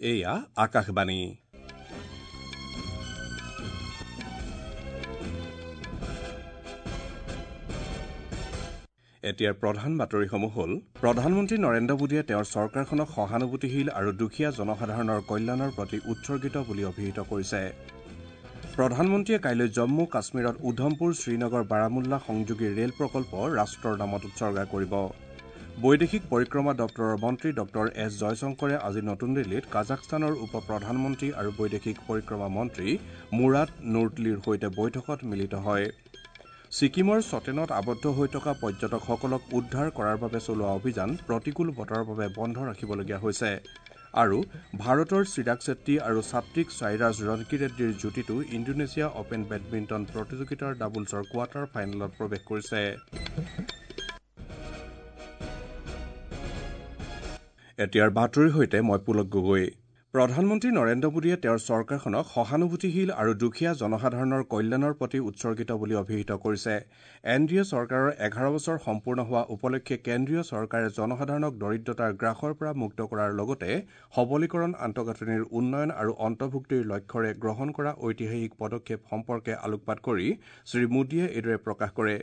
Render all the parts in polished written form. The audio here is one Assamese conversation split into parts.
এয়া আকাশবাণী। এতিয়াৰ প্ৰধান বাতৰিসমূহ হ'ল প্ৰধানমন্ত্ৰী নৰেন্দ্ৰ মোদীয়ে তেওঁৰ চৰকাৰখনক সহানুভূতিশীল আৰু দুখীয়া জনসাধাৰণৰ কল্যাণৰ প্ৰতি উৎসৰ্গিত বুলি অভিহিত কৰিছে। প্ৰধানমন্ত্ৰীয়ে কাইলৈ জম্মু কাশ্মীৰত উধমপুৰ শ্ৰীনগৰ বাৰামুল্লা সংযোগী ৰেল প্ৰকল্প ৰাষ্ট্ৰৰ নামত উৎসৰ্গা কৰিব। বৈদেশিক পৰিক্ৰমা দপ্তৰৰ মন্ত্ৰী ডঃ এছ জয়শংকৰে আজি নতুন দিল্লীত কাজাখস্তানৰ উপ প্ৰধানমন্ত্ৰী আৰু বৈদেশিক পৰিক্ৰমা মন্ত্ৰী মুৰাদ নুৰটলিৰ সৈতে বৈঠকত মিলিত হয়। ছিকিমৰ চটেনত আবদ্ধ হৈ থকা পৰ্যটকসকলক উদ্ধাৰ কৰাৰ বাবে চলোৱা অভিযান প্ৰতিকূল বতৰৰ বাবে বন্ধ ৰাখিবলগীয়া হৈছে। আৰু ভাৰতৰ চিৰাগ চেট্টি আৰু সাত্বিক সাইৰাজ ৰনকিৰেড্ডীৰ যুটিটো ইণ্ডোনেছিয়া অপেন বেডমিণ্টন প্ৰতিযোগিতাৰ ডাবলছৰ কোৱাৰ্টাৰ ফাইনেলত প্ৰৱেশ কৰিছে। এতিয়াৰ বাতৰিৰ সৈতে মই পুলক গগৈ। প্ৰধানমন্ত্ৰী নৰেন্দ্ৰ মোদীয়ে তেওঁৰ চৰকাৰখনক সহানুভূতিশীল আৰু দুখীয়া জনসাধাৰণৰ কল্যাণৰ প্ৰতি উৎসৰ্গিত বুলি অভিহিত কৰিছে। এন ডি এ চৰকাৰৰ ১১ বছৰ সম্পূৰ্ণ হোৱা উপলক্ষে কেন্দ্ৰীয় চৰকাৰে জনসাধাৰণক দৰিদ্ৰতাৰ গ্ৰাসৰ পৰা মুক্ত কৰাৰ লগতে সবলীকৰণ, আন্তঃগাঁথনিৰ উন্নয়ন আৰু অন্তৰ্ভুক্তিৰ লক্ষ্যৰে গ্ৰহণ কৰা ঐতিহাসিক পদক্ষেপ সম্পৰ্কে আলোকপাত কৰি শ্ৰীমোদীয়ে এইদৰে প্ৰকাশ কৰে।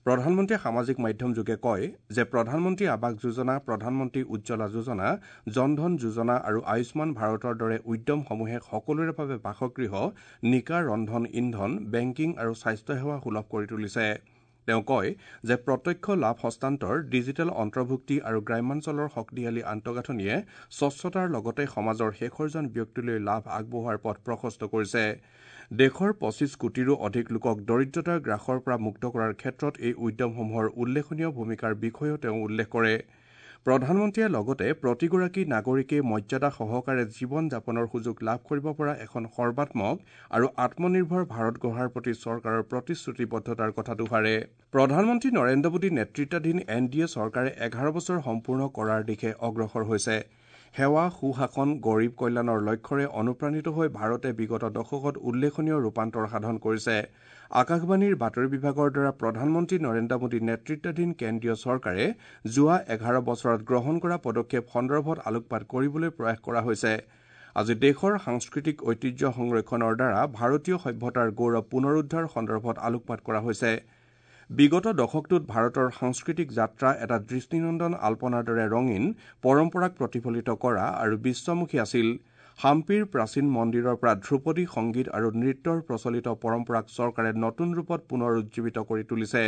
প্ৰধানমন্ত্ৰীয়ে সামাজিক মাধ্যমযোগে কয় যে প্ৰধানমন্ত্ৰী আৱাস যোজনা, প্ৰধানমন্ত্ৰী উজ্জ্বলা যোজনা, জনধন যোজনা আৰু আয়ুষ্মান ভাৰতৰ দৰে উদ্যমসমূহে সকলোৰে বাবে বাসগৃহ, নিকা ৰন্ধন ইন্ধন, বেংকিং আৰু স্বাস্থ্যসেৱা সুলভ কৰি তুলিছে। তেওঁ কয় যে প্ৰত্যক্ষ লাভ হস্তান্তৰ, ডিজিটেল অন্তৰ্ভুক্তি আৰু গ্ৰাম্যাঞ্চলৰ শক্তিশালী আন্তঃগাঁথনিয়ে স্বচ্ছতাৰ লগতে সমাজৰ শেষৰজন ব্যক্তিলৈ লাভ আগবঢ়োৱাৰ পথ প্ৰশস্ত কৰিছে। দেশৰ ২৫ কোটিৰো অধিক লোকক দৰিদ্ৰতাৰ গ্ৰাসৰ পৰা মুক্ত কৰাৰ ক্ষেত্ৰত এই উদ্যমসমূহৰ উল্লেখনীয় ভূমিকাৰ বিষয়েও তেওঁ উল্লেখ কৰে। প্ৰধানমন্ত্ৰীয়ে লগতে প্ৰতিগৰাকী নাগৰিকে মৰ্যাদা সহকাৰে জীৱন যাপনৰ সুযোগ লাভ কৰিব পৰা এখন সৰ্বাত্মক আৰু আত্মনিৰ্ভৰ ভাৰত গঢ়াৰ প্ৰতি চৰকাৰৰ প্ৰতিশ্ৰুতিবদ্ধতাৰ কথা দোহাৰে। প্ৰধানমন্ত্ৰী নৰেন্দ্ৰ মোদী নেতৃত্বাধীন এন ডি এ চৰকাৰে ১১ বছৰ সম্পূৰ্ণ কৰাৰ দিশে অগ্ৰসৰ হৈছে। সেৱা, সুশাসন, গৰীব কল্যাণৰ লক্ষ্যৰে অনুপ্ৰাণিত হৈ ভাৰতে বিগত দশকত উল্লেখনীয় ৰূপান্তৰ সাধন কৰিছে। আকাশবাণীৰ বাতৰি বিভাগৰ দ্বাৰা প্ৰধানমন্ত্ৰী নৰেন্দ্ৰ মোদী নেতৃত্বাধীন কেন্দ্ৰীয় চৰকাৰে যোৱা ১১ বছৰত গ্ৰহণ কৰা পদক্ষেপ সন্দৰ্ভত আলোকপাত কৰিবলৈ প্ৰয়াস কৰা হৈছে। আজি দেশৰ সাংস্কৃতিক ঐতিহ্য সংৰক্ষণৰ দ্বাৰা ভাৰতীয় সভ্যতাৰ গৌৰৱ পুনৰুদ্ধাৰ সন্দৰ্ভত আলোকপাত কৰা হৈছে। বিগত দশকটোত ভাৰতৰ সাংস্কৃতিক যাত্ৰা এটা দৃষ্টিনন্দন আল্পনাৰ দৰে ৰঙীন পৰম্পৰাক প্ৰতিফলিত কৰা আৰু বিশ্বমুখী আছিল। হাম্পিৰ প্ৰাচীন মন্দিৰৰ পৰা ধ্ৰুপদী সংগীত আৰু নৃত্যৰ প্ৰচলিত পৰম্পৰাক চৰকাৰে নতুন ৰূপত পুনৰুজ্জীৱিত কৰি তুলিছে।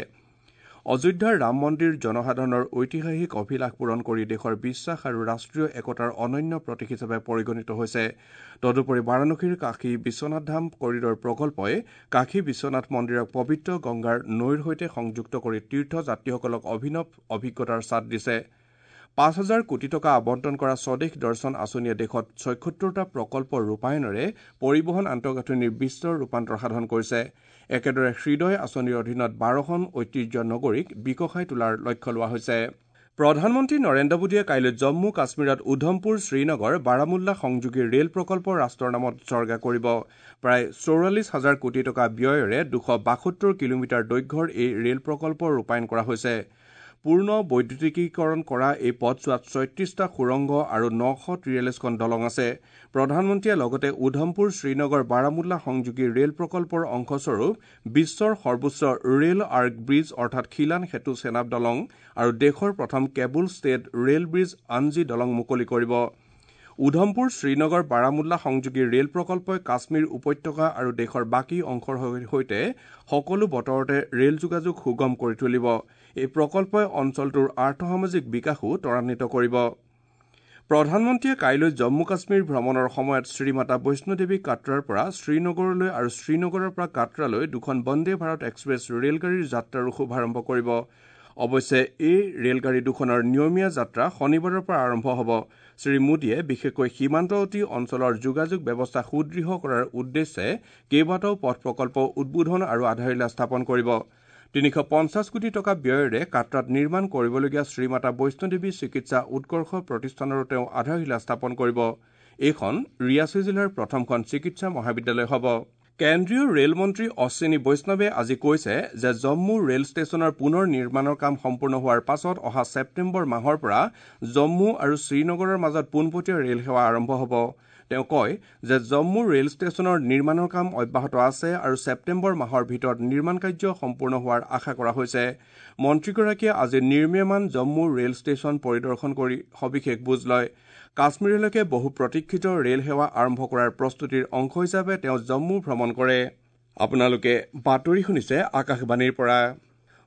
অযোধ্যাৰ ৰাম মন্দিৰ জনসাধাৰণৰ ঐতিহাসিক অভিলাষ পূৰণ কৰি দেশৰ বিশ্বাস আৰু ৰাষ্ট্ৰীয় একতাৰ অনন্য প্ৰতীক হিচাপে পৰিগণিত হৈছে। তদুপৰি বাৰাণসীৰ কাশী বিশ্বনাথ ধাম কৰিডৰ প্ৰকল্পই কাশী বিশ্বনাথ মন্দিৰক পবিত্ৰ গংগাৰ নৈৰ সৈতে সংযুক্ত কৰি তীৰ্থযাত্ৰীসকলক অভিনৱ অভিজ্ঞতাৰ স্বাদ দিছে। ৫,০০০ কোটি টকা আবণ্টন কৰা স্বদেশ দৰ্শন আঁচনিয়ে দেশত ৭৬টা প্ৰকল্প ৰূপায়ণেৰে পৰিবহণ আন্তঃগাঁথনিৰ বিস্তৰ ৰূপান্তৰ সাধন কৰিছে। একেদৰে হৃদয় আঁচনিৰ অধীনত ১২খন ঐতিহ্য নগৰীক বিকশাই তোলাৰ লক্ষ্য লোৱা হৈছে। প্ৰধানমন্ত্ৰী নৰেন্দ্ৰ মোদীয়ে কাইলৈ জম্মু কাশ্মীৰত উধমপুৰ শ্ৰীনগৰ বাৰামুল্লা সংযোগী ৰেল প্ৰকল্প ৰাষ্ট্ৰৰ নামত উৎসৰ্গা কৰিব। প্ৰায় ৪৪ হাজাৰ কোটি টকা ব্যয়েৰে ২৭২ কিলোমিটাৰ দৈৰ্ঘ্যৰ এই ৰেল প্ৰকল্প ৰূপায়ণ কৰা হৈছে। পূৰ্ণ বৈদ্যুতিকীকৰণ কৰা এই পথছোৱাত ৩৬টা সুৰংগ আৰু ৯৪৩খন দলং আছে। প্ৰধানমন্ত্ৰীয়ে লগতে উধমপুৰ শ্ৰীনগৰ বাৰামুল্লা সংযোগী ৰেল প্ৰকল্পৰ অংশস্বৰূপ বিশ্বৰ সৰ্বোচ্চ ৰেল আৰ্ক ব্ৰীজ অৰ্থাৎ খিলান সেতু চেনাব দলং আৰু দেশৰ প্ৰথম কেবল ষ্টেড ৰেল ব্ৰীজ আঞ্জি দলং মুকলি কৰিব। উধমপুৰ শ্ৰীনগৰ বাৰামুল্লা সংযোগী ৰেল প্ৰকল্পই কাশ্মীৰ উপত্যকা আৰু দেশৰ বাকী অংশৰ সৈতে সকলো বতৰতে ৰেল যোগাযোগ সুগম কৰি তুলিব। এই প্ৰকল্পই অঞ্চলটোৰ আৰ্থসামাজিক বিকাশো ত্বৰান্বিত কৰিব। প্ৰধানমন্ত্ৰীয়ে কাইলৈ জম্মু কাশ্মীৰ ভ্ৰমণৰ সময়ত শ্ৰীমাতা বৈষ্ণোদেৱী কাটৰাৰ পৰা শ্ৰীনগৰলৈ আৰু শ্ৰীনগৰৰ পৰা কাটৰালৈ দুখন বন্দে ভাৰত এক্সপ্ৰেছ ৰেলগাড়ীৰ যাত্ৰাৰো শুভাৰম্ভ কৰিব। অৱশ্যে এই ৰেলগাড়ী দুখনৰ নিয়মীয়া যাত্ৰা শনিবাৰৰ পৰা আৰম্ভ হ'ব। শ্ৰীমোদীয়ে বিশেষকৈ সীমান্তৱৰ্তী অঞ্চলৰ যোগাযোগ ব্যৱস্থা সুদৃঢ় কৰাৰ উদ্দেশ্যে কেইবাটাও পথ প্ৰকল্প উদ্বোধন আৰু আধাৰশিলা স্থাপন কৰিব। ৩৫০ কোটি টকা ব্যয়েৰে কাটৰাত নিৰ্মাণ কৰিবলগীয়া শ্ৰীমাতা বৈষ্ণোদেৱী চিকিৎসা উৎকৰ্ষ প্ৰতিষ্ঠানৰো তেওঁ আধাৰশিলা স্থাপন কৰিব। এইখন ৰিয়াচী জিলাৰ প্ৰথমখন চিকিৎসা মহাবিদ্যালয় হ'ব। কেন্দ্ৰীয় ৰেল মন্ত্ৰী অশ্বিনী বৈষ্ণৱে আজি কৈছে যে জম্মু ৰেল ষ্টেচনৰ পুনৰ নিৰ্মাণৰ কাম সম্পূৰ্ণ হোৱাৰ পাছত অহা ছেপ্টেম্বৰ মাহৰ পৰা জম্মু আৰু শ্ৰীনগৰৰ মাজত পোনপটীয়া ৰেল সেৱা আৰম্ভ হ'ব। তেওঁ কয় যে জম্মু ৰেল ষ্টেচনৰ নিৰ্মাণৰ কাম অব্যাহত আছে আৰু ছেপ্টেম্বৰ মাহৰ ভিতৰত নিৰ্মাণ কাৰ্য সম্পূৰ্ণ হোৱাৰ আশা কৰা হৈছে। মন্ত্ৰীগৰাকীয়ে আজি নিৰ্মীয়মান জম্মু ৰেল ষ্টেচন পৰিদৰ্শন কৰি সবিশেষ বুজ লয়। কাশ্মীৰলৈকে বহু প্ৰতীক্ষিত ৰেল সেৱা আৰম্ভ কৰাৰ প্ৰস্তুতিৰ অংশ হিচাপে তেওঁ জম্মু ভ্ৰমণ কৰে। আপোনালোকে বাতৰি শুনিছে আকাশবাণীৰ পৰা।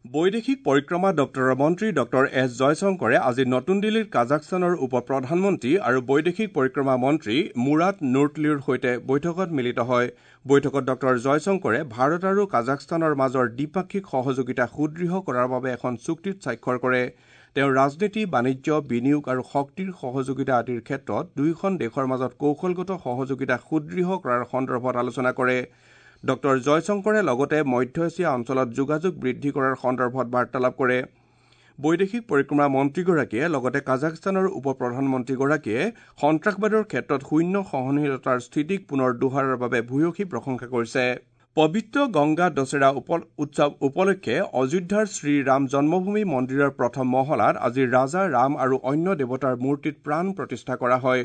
বৈদেশিক পৰিক্ৰমা দপ্তৰৰ মন্ত্ৰী ডঃ এছ জয়শংকৰে আজি নতুন দিল্লীত কাজাখস্তানৰ উপ প্ৰধানমন্ত্ৰী আৰু বৈদেশিক পৰিক্ৰমা মন্ত্ৰী মুৰাট নুৰটলিউৰ সৈতে বৈঠকত মিলিত হয়। বৈঠকত ডঃ জয়শংকৰে ভাৰত আৰু কাজাখস্তানৰ মাজৰ দ্বিপাক্ষিক সহযোগিতা সুদৃঢ় কৰাৰ বাবে এখন চুক্তিত স্বাক্ষৰ কৰে। তেওঁ ৰাজনীতি, বাণিজ্য, বিনিয়োগ আৰু শক্তিৰ সহযোগিতা আদিৰ ক্ষেত্ৰত দুয়োখন দেশৰ মাজত কৌশলগত সহযোগিতা সুদৃঢ় কৰাৰ সন্দৰ্ভত আলোচনা কৰে। ডঃ জয়শংকৰে লগতে মধ্য এছিয়া অঞ্চলত যোগাযোগ বৃদ্ধি কৰাৰ সন্দৰ্ভত বাৰ্তালাপ কৰে। বৈদেশিক পৰিক্ৰমা মন্ত্ৰীগৰাকীয়ে লগতে কাজাখস্তানৰ উপ প্ৰধানমন্ত্ৰীগৰাকীয়ে সন্ত্ৰাসবাদৰ ক্ষেত্ৰত শূন্য সহনশীলতাৰ স্থিতিক পুনৰ দোহৰাৰ বাবে ভূয়সী প্ৰশংসা কৰিছে। পবিত্ৰ গংগা দশেৰা উৎসৱ উপলক্ষে অযোধ্যাৰ শ্ৰীৰাম জন্মভূমি মন্দিৰৰ প্ৰথম মহলাত আজি ৰাজা ৰাম আৰু অন্য দেৱতাৰ মূৰ্তিত প্ৰাণ প্ৰতিষ্ঠা কৰা হয়।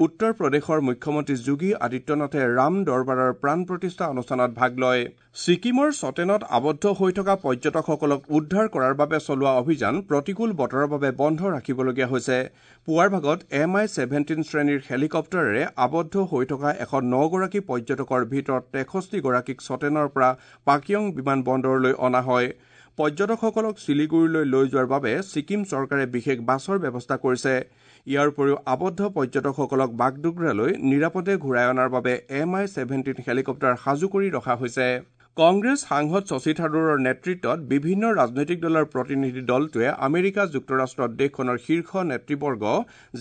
উত্তৰ প্ৰদেশৰ মুখ্যমন্ত্ৰী যোগী আদিত্যনাথে ৰাম দৰবাৰৰ প্ৰাণ প্ৰতিষ্ঠা অনুষ্ঠানত ভাগ লয়। ছিকিমৰ চটেনত আবদ্ধ হৈ থকা পৰ্যটকসকলক উদ্ধাৰ কৰাৰ বাবে চলোৱা অভিযান প্ৰতিকূল বতৰৰ বাবে বন্ধ ৰাখিবলগীয়া হৈছে। পুৱাৰ ভাগত MI-17 শ্ৰেণীৰ হেলিকপ্টাৰেৰে আবদ্ধ হৈ থকা 109গৰাকী পৰ্যটকৰ ভিতৰত 63গৰাকীক চটেনৰ পৰা পাকিয়ং বিমান বন্দৰলৈ অনা হয়। পৰ্যটকসকলক শিলিগুৰিলৈ লৈ যোৱাৰ বাবে ছিকিম চৰকাৰে বিশেষ বাছৰ ব্যৱস্থা কৰিছে। ইয়াৰ উপৰিও আবদ্ধ পৰ্যটকসকলক বাগডোগৰালৈ নিৰাপদে ঘূৰাই অনাৰ বাবে MI-17 helicopter সাজু কৰি ৰখা হৈছে। কংগ্ৰেছ সাংসদ শশী থাৰুৰৰ নেতৃত্বত বিভিন্ন ৰাজনৈতিক দলৰ প্ৰতিনিধি দলটোৱে আমেৰিকা যুক্তৰাষ্ট্ৰত দেশখনৰ শীৰ্ষ নেতৃবৰ্গ,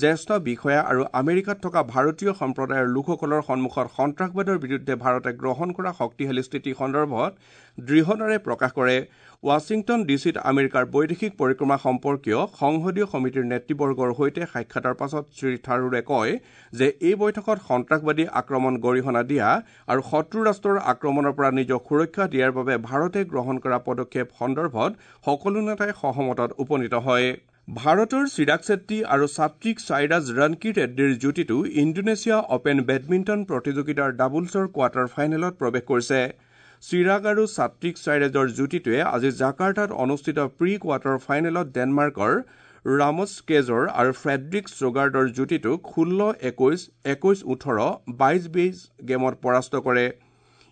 জ্যেষ্ঠ বিষয়া আৰু আমেৰিকাত থকা ভাৰতীয় সম্প্ৰদায়ৰ লোকসকলৰ সন্মুখত সন্ত্ৰাসবাদৰ বিৰুদ্ধে ভাৰতে গ্ৰহণ কৰা শক্তিশালী স্থিতি সন্দৰ্ভত দৃঢ়তাৰে প্ৰকাশ কৰে। ৱাশ্বিংটন ডিচিত আমেৰিকাৰ বৈদেশিক পৰিক্ৰমা সম্পৰ্কীয় সংসদীয় সমিতিৰ নেতৃবৰ্গৰ সৈতে সাক্ষাতৰ পাছত শ্ৰী থাৰুৰে কয় যে এই বৈঠকত সন্ত্ৰাসবাদী আক্ৰমণ গৰিহণা দিয়া আৰু শত্ৰু ৰাষ্ট্ৰৰ আক্ৰমণৰ পৰা নিজক সুৰক্ষা দিয়াৰ বাবে ভাৰতে গ্ৰহণ কৰা পদক্ষেপ সন্দৰ্ভত সকলো নেতাই সহমতত উপনীত হয়। ভাৰতৰ চিৰাগ চেট্টি আৰু সাত্বিক সাইৰাজ ৰনকি ৰেড্ডীৰ যুটিটো ইণ্ডোনেছিয়া অপেন বেডমিণ্টন প্ৰতিযোগিতাৰ ডাবলছৰ কোৱাৰ্টাৰ ফাইনেলত প্ৰৱেশ কৰিছে। চিৰাগ আৰু সাত্বিক সাইৰাজৰ যুটিটোৱে আজি জাকাৰ্টাত অনুষ্ঠিত প্ৰি কোৱাৰ্টাৰ ফাইনেলত ডেনমাৰ্কৰ ৰামছ কেজৰ আৰু ফ্ৰেডৰিক শ্ৰোগাৰ্ডৰ যুটিটোক 16-21, 21-18, 22-20 গেমত পৰাস্ত কৰে।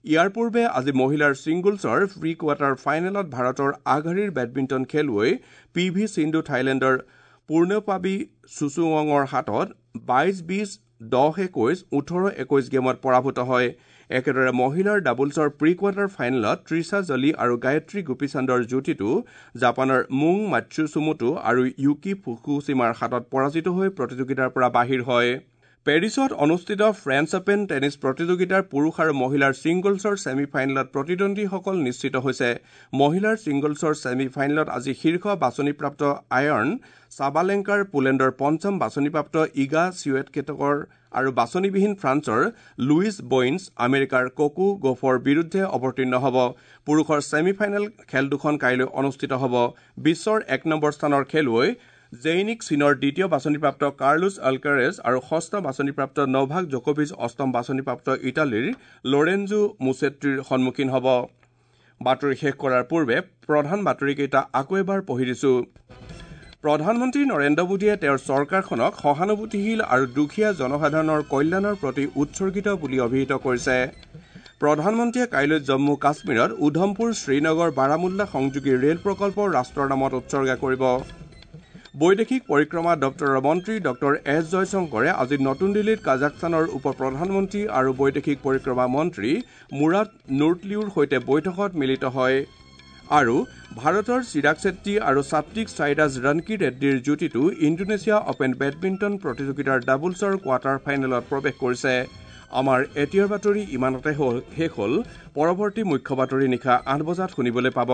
ইয়াৰ পূৰ্বে আজি মহিলাৰ ছিংগলছৰ প্ৰি কোৱাৰ্টাৰ ফাইনেলত ভাৰতৰ আগশাৰীৰ বেডমিণ্টন খেলুৱৈ পি ভি সিন্ধু থাইলেণ্ডৰ পূৰ্ণপাবি চুচুৱঙৰ হাতত 22-20, 10-21, 18-21 গেমত পৰাভূত হয়। একেদৰে মহিলাৰ ডাবলছৰ প্ৰি কোৱাৰ্টাৰ ফাইনেলত ত্ৰিশা জলি আৰু গায়ত্ৰী গোপীচান্দৰ যুটিটো জাপানৰ মুং মাৎসুমোটো আৰু য়ুকি ফুকুশ্বিমাৰ হাতত পৰাজিত হৈ প্ৰতিযোগিতাৰ পৰা বাহিৰ হয়। পেৰিছত অনুষ্ঠিত ফ্ৰেঞ্চ অপেন টেনিছ প্ৰতিযোগিতাৰ পুৰুষ আৰু মহিলাৰ ছিংগলছৰ ছেমি ফাইনেলত প্ৰতিদ্বন্দ্বীসকল নিশ্চিত হৈছে। মহিলাৰ ছিংগলছৰ ছেমি ফাইনেলত আজি শীৰ্ষ বাছনিপ্ৰাপ্ত আয়ৰ্ণ চাবালেংকাৰ পোলেণ্ডৰ পঞ্চম বাছনিপ্ৰাপ্ত ইগা চিৱেটকেটকৰ আৰু বাছনিবিহীন ফ্ৰান্সৰ লুইছ বইন্স আমেৰিকাৰ কোকো গফৰ বিৰুদ্ধে অৱতীৰ্ণ হ'ব। পুৰুষৰ ছেমি ফাইনেল খেল দুখন কাইলৈ অনুষ্ঠিত হ'ব। বিশ্বৰ 1 নম্বৰ স্থানৰ খেলুৱৈ জেইনিক চীনৰ দ্বিতীয় বাছনিপ্ৰাপ্ত কাৰ্লোছ আলকাৰেজ আৰু ষষ্ঠ বাছনিপ্ৰাপ্ত নভাক জকোভিচ অষ্টম বাছনিপ্ৰাপ্ত ইটালীৰ লৰেঞ্জো মুছেট্টিৰ সন্মুখীন হ'ব। বাতৰি শেষ কৰাৰ পূৰ্বে প্ৰধান বাতৰিকেইটা আকৌ এবাৰ পঢ়ি দিছো। প্ৰধানমন্ত্ৰী নৰেন্দ্ৰ মোদীয়ে তেওঁৰ চৰকাৰখনক সহানুভূতিশীল আৰু দুখীয়া জনসাধাৰণৰ কল্যাণৰ প্ৰতি উৎসৰ্গিত বুলি অভিহিত কৰিছে। প্ৰধানমন্ত্ৰীয়ে কাইলৈ জম্মু কাশ্মীৰত উধমপুৰ শ্ৰীনগৰ বাৰামুল্লা সংযোগী ৰেল প্ৰকল্প ৰাষ্ট্ৰৰ নামত উৎসৰ্গা কৰিব। বৈদেশিক পৰিক্ৰমা দপ্তৰৰ মন্ত্ৰী ডঃ এছ জয়শংকৰে আজি নতুন দিল্লীত কাজাখস্তানৰ উপ প্ৰধানমন্ত্ৰী আৰু বৈদেশিক পৰিক্ৰমা মন্ত্ৰী মুৰাট নুৰটলিউৰ সৈতে বৈঠকত মিলিত হয়। আৰু ভাৰতৰ চিৰাগ চেট্টি আৰু সাত্বিক সাইৰাজ ৰনকি ৰেড্ডীৰ যুটিটো ইণ্ডোনেছিয়া অপেন বেডমিণ্টন প্ৰতিযোগিতাৰ ডাবলছৰ কোৱাৰ্টাৰ ফাইনেলত প্ৰৱেশ কৰিছে। আমাৰ এতিয়াৰ বাতৰি ইমানতে শেষ হ'ল। পৰৱৰ্তী মুখ্য বাতৰি নিশা ৮ বজাত শুনিবলৈ পাব।